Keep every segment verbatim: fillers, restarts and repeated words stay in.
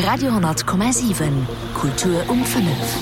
Radio honnert Komma siwen, Kultur um fënnef.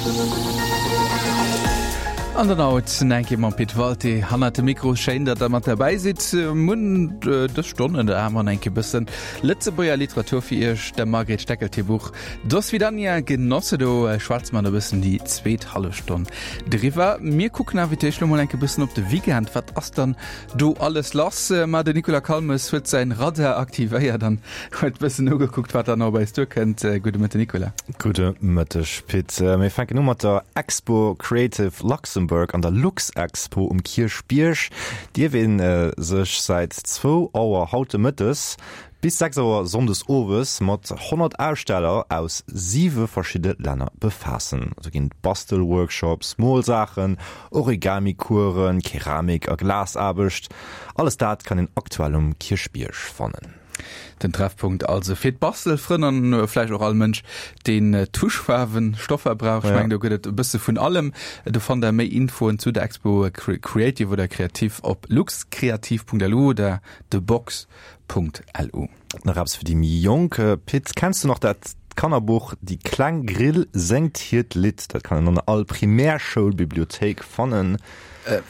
An dann haut eng Kéier mam Pit Walté hannert dem Mikro. Schéin, datt der mat derbäi sidd. Mir hunn dës Stonn ënner anerem eng Kéier bëssen Lëtzebuerger Literatur fir iech, dem Margret Steckel hir Buch Do svidania, Genosse. Do schwätze mer e bëssen déi zweet hallef Stonn driwwer. Mir kucken awer fir d'éischt lo mol eng Kéier bëssen op de Weekend. Wat ass dann do alles lass? Ma den Nicolas Calmes huet säin Radar aktivéiert an huet bëssen nogekuckt, wat dann op eis duerkënnt. Gudde Mëtten, Nicolas. Gudde Mëtteg, Pit. Mir fänken u mat der Expo Creative Luxembourg an der Luxexpo um Kierchbierg. Dierf ee sech säit zwou Auer haut de Mëttes bis sechs Auer sonndes owes mat honnert Aussteller aus siwe verschidde Länner befaassen. Do ginn et Bastelworkshops, Molsaachen, Origami-Coursen, Keramik a Glasaarbecht. Alles dat kann een aktuell um Kierchbierg fannen. Den Treffpunkt also fir d'Bastelfrënn an vläicht och all Mënsch, deen Tuschfaarwen, Stoffer brauch. Ech mengen, do gëtt et e bësse vun allem. Do fannt der méi Infoen zu der Expo Creative oder Kreativ op luxcreativ.lu oder thebox. .lu. Nach eppes fir déi méi Jonk, Pit, kenns du nach dat Kannerbuch Déi kleng Grill séngt hiert Lidd? Dat kann een an all Primärschoulbibliothéik fannen.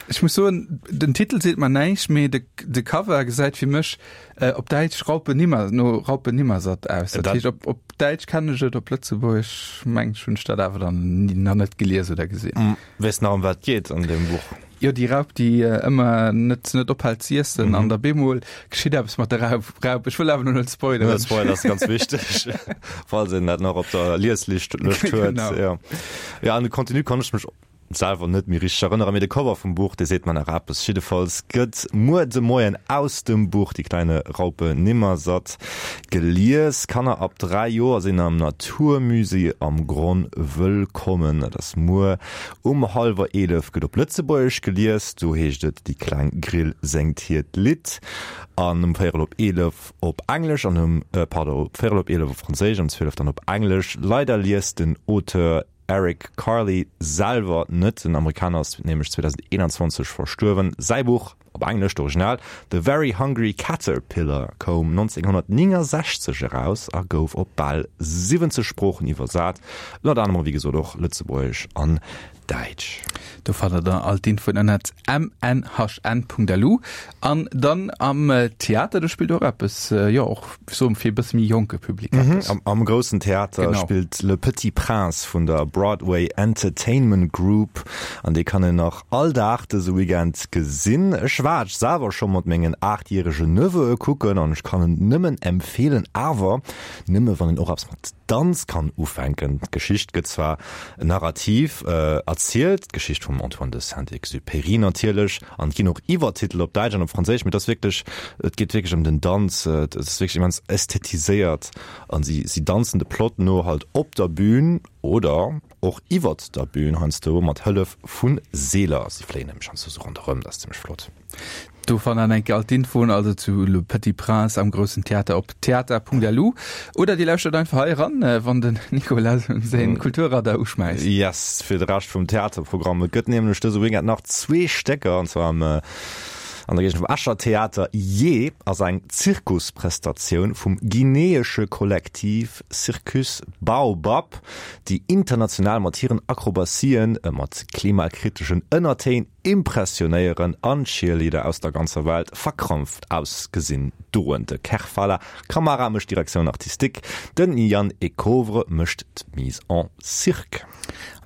Ech muss soen, den Titel seet mer näischt, mee de de Cover gesäit fir mech op Däitsch Raupe Nimmer no Raupe Nimmersatt aus. Dat heescht, op op Däitsch kennen ech et, op Lëtzebuergesch mengen ech hunn ech dat awer dann nach net gelies oder gesinn. Weess nach ëm wat et geet an deem Buch? Jo, déi Raup, déi ëmmer net net ophält z'iessen an da bemol geschitt eppes mat der Raup. Raup. Ech wëll awer lo net spoileren. Net spoileren ass ganz wichteg, falls een dat nach op der Lieslischt Lëscht huet. Genau. Jo, jo, an de Contenu kann ech mech selwer net méi richteg erënneren, mee de Cover vum Buch, dee seet mer nach eppes. Jiddefalls gëtt muer de Moien aus dem Buch Die kleine Raupe Nimmersatt gelies. Kanner ab dräi Joer sinn am Naturmusée am Gronn wëllkommen. Dat ass muer Um hallwer eelef gëtt op Lëtzebuergesch gelies, do heescht et Déi kleng Grill séngt hiert Lidd. An um véierel op eelef op Englesch an um, pardon, véierel op eelef op Franséisch, um zwielef dann op Englesch. Leider liest den Auteur Eric Carle selwer net, den Amerikaner ass nämlech zweedausendeenanzwanzeg verstuerwen. Säi Buch, op Englesch, d'Original, The Very Hungry Caterpillar, koum nonzénghonnertnéngensechzeg eraus a gouf op bal siwwenzeg Sproochen iwwersat, ënnert anerem wéi gesot och Lëtzebuergesch an Däitsch. Do fannt der dann all d'Infoen ënnert m n h n punkt l u. An dann am Theater, do spillt och eppes, jo och soe fir e bësse méi jonke Public eppes. Am Groussen Theater spillt Le Petit Prince vun der Broadway Entertainment Group an dee kann een nach all Dag dëse Weekend gesinn. Ech war et selwer scho mat mengen aachtjäregen Neveue kucken an ech kann en nëmmen empfeelen, awer nëmme wann een och eppes mat Danz kann ufänken. D'Geschicht gëtt zwar narrativ erzielt, d'Geschicht vum Antoine de Saint-Exupéry natierlech, an et ginn och Iwwertitel op Däitsch an op Franséisch, mee et ass wierklech, et geet wierklech ëm den Danz, et ass wierklech immens ästhetiséiert an si si danzen de Plot no halt op der Bühn oder och iwwert der Bühn, heiansdo mat Hëllef vu Seeler. Si fléien nämlech heiansdo sou ronderëm, dat ass zimmlech flott. Do fannt der enke all d'Infoen also zu Le Petit Prince am Groussen Theater op theater Punkt L U oder dir lauschtert einfach hei eran, wann den Nicolas säin Kulturradar uschmäisst. Yes, fir de Rescht vum Theaterprogramm. Et gëtt nämlech dëse Weekend nach zwee Stécker, an zwar am an der Géigend vum Escher Theater. Jee ass eng Zirkusprestatioun vum guineesche Kollektiv Circus Baobab, déi international mat hiren Akrobatien, mat klimakriteschen Ënnertéin impressionéieren an Cheerleader aus der ganzer Welt verkrampft ausgesinn doen. De Kerfala Camara mécht d'Direction artistique, den Yann Ecouvre mécht d'Mise en cirque.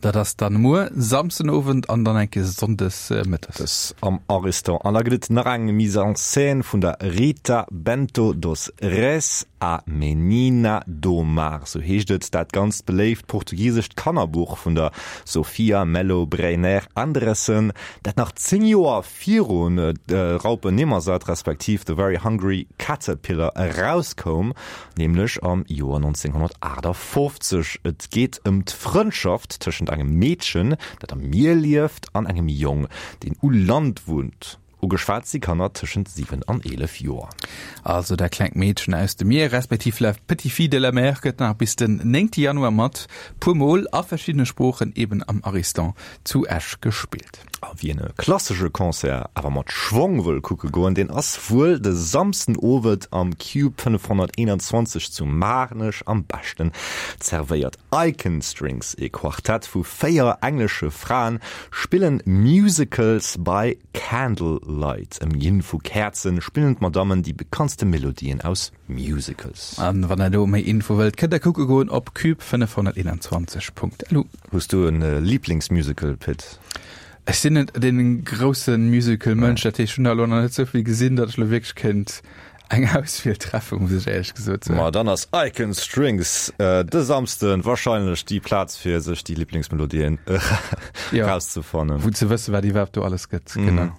Dat ass dann muer Samsden Owend an dann enke Sonndes mëttes. Dës am Ariston. An da gëtt et nach eng Mise en scène vun der Rita Bento dos Reis, A Menina do Mar, sou heescht et, dat ganz beléift portugisescht Kannerbuch vun der Sofia Mello Breiner Andressen, dat nach zéng Joer virun Raupe Nimmersatt respektiv The Very Hungry Caterpillar erauskoum, nämlech am Joer nonzénghonnertaachtafoffzeg. Et geet ëm d'Frëndschaft tëschent engem Meedchen, dat am Mier lieft, an engem Jong, deen u Land wunnt. Ugeschwat si Kanner tëschent siwen an eelef Joer. Also Dat klengt Meedchen aus dem Mier, respektiv La petite fille de la mer gëtt nach bis den néngte Januar mat puer Mol a verschiddene Sproochen eben am Ariston zu Esch gespillt. A wien e klassesche Concert awer mat Schwong wëll kucke goen, deen ass wuel de Samsden Owend am Cube fënnefhonnerteenanzwanzeg zu Maarnech am beschten zerwéiert. Icon Strings, e Quartett vu véier englesche Fraen, spillen Musicals by Candlelight. Ëmginn vu Käerzen spillen d'Madammen déi bekanntste Melodien aus Musicals. An wann der do méi Info wëllt, kënnt der kucke goen op cube fënnefhonnerteenanzwanzeg Punkt lu. Hues du en Liblingsmusical, Pit? Ech sinn net dee grousse Musical-Mënsch, dat heescht, ech hunn der elo nach net esou vill gesinn, datt ech elo wierklech kéint eng Auswiel treffen, muss ech éierlech gesot soen. Ma dann ass Icon Strings de Samsden wahrscheinlech déi Plaz fir sech déi Liblingsmelodien erauszefannen. Wou ze wëssen, wat iwwerhaapt do alles gëtt, genau.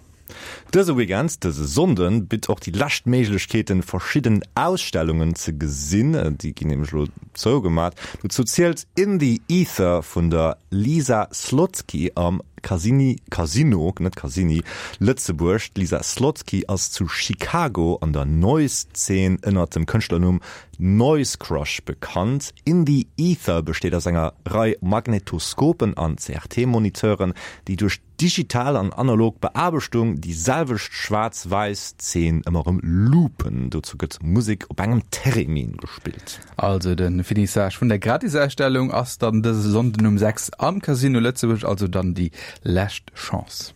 Dëse Weekend, dëse Sonnden, bitt och déi lescht Méiglechkeeten, verschidden Ausstellungen ze gesinn. Déi ginn nämlech elo zougemat. Dozou zielt In the Ether vun der Lisa Slotzky am Casini, Casino, net Casini, Lëtzebuerg. D'Lisa Slotzky ass zu Chicago an der Noise-Zeen ënnert dem Kënschtlernumm Noise Crush bekannt. In the Ether besteet aus enger Rei Magnetoskopen an C R T-Moniteuren, déi duerch digital an analog Beaarbechtung déi selwecht schwaarz-wäiss Zeen ëmmer erëm loopen. Dozou gëtt Musek op engem Theremin gespillt. Also de Finissage vun der Gratisausstellung ass dann dëse Sonnden um sechs am Casino Lëtzebuerg, also dann déi lescht Chance.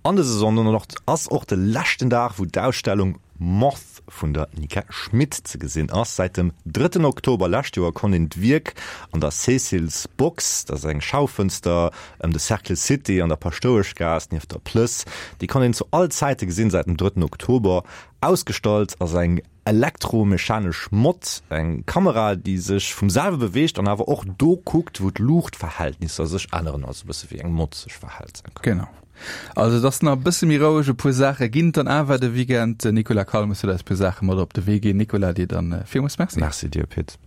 An dëse Sonnden ass och de leschten Dag, wou d'Ausstellung Moth vun der Nika Schmit ze gesinn ass. Säit dem drëtten Oktober lescht Joer konnt een d'Wierk an der Cécile's Box, dat ass eng Schaufënster ëm de Cercle City an der Paschtoueschgaass nieft der Plëss, déi konnt een zu all Zäite gesinn säit dem drëtten Oktober. Ausgestallt ass eng elektromechanesch Mott, eng Kamera, déi sech vum selwe beweegt an awer och do kuckt, wou d'Luuchtverhältnisser sech änneren, also e bësse wéi eng Mott sech verhält. Genau. Also et ass nach e bësse méi roueg, e puer Saache ginn et dann awer de Weekend. Den Nicolas Calmes huet eis e puer Saache mat op de Wee ginn. Nicolas, dir dann villmools Merci. Merci dir, Pit.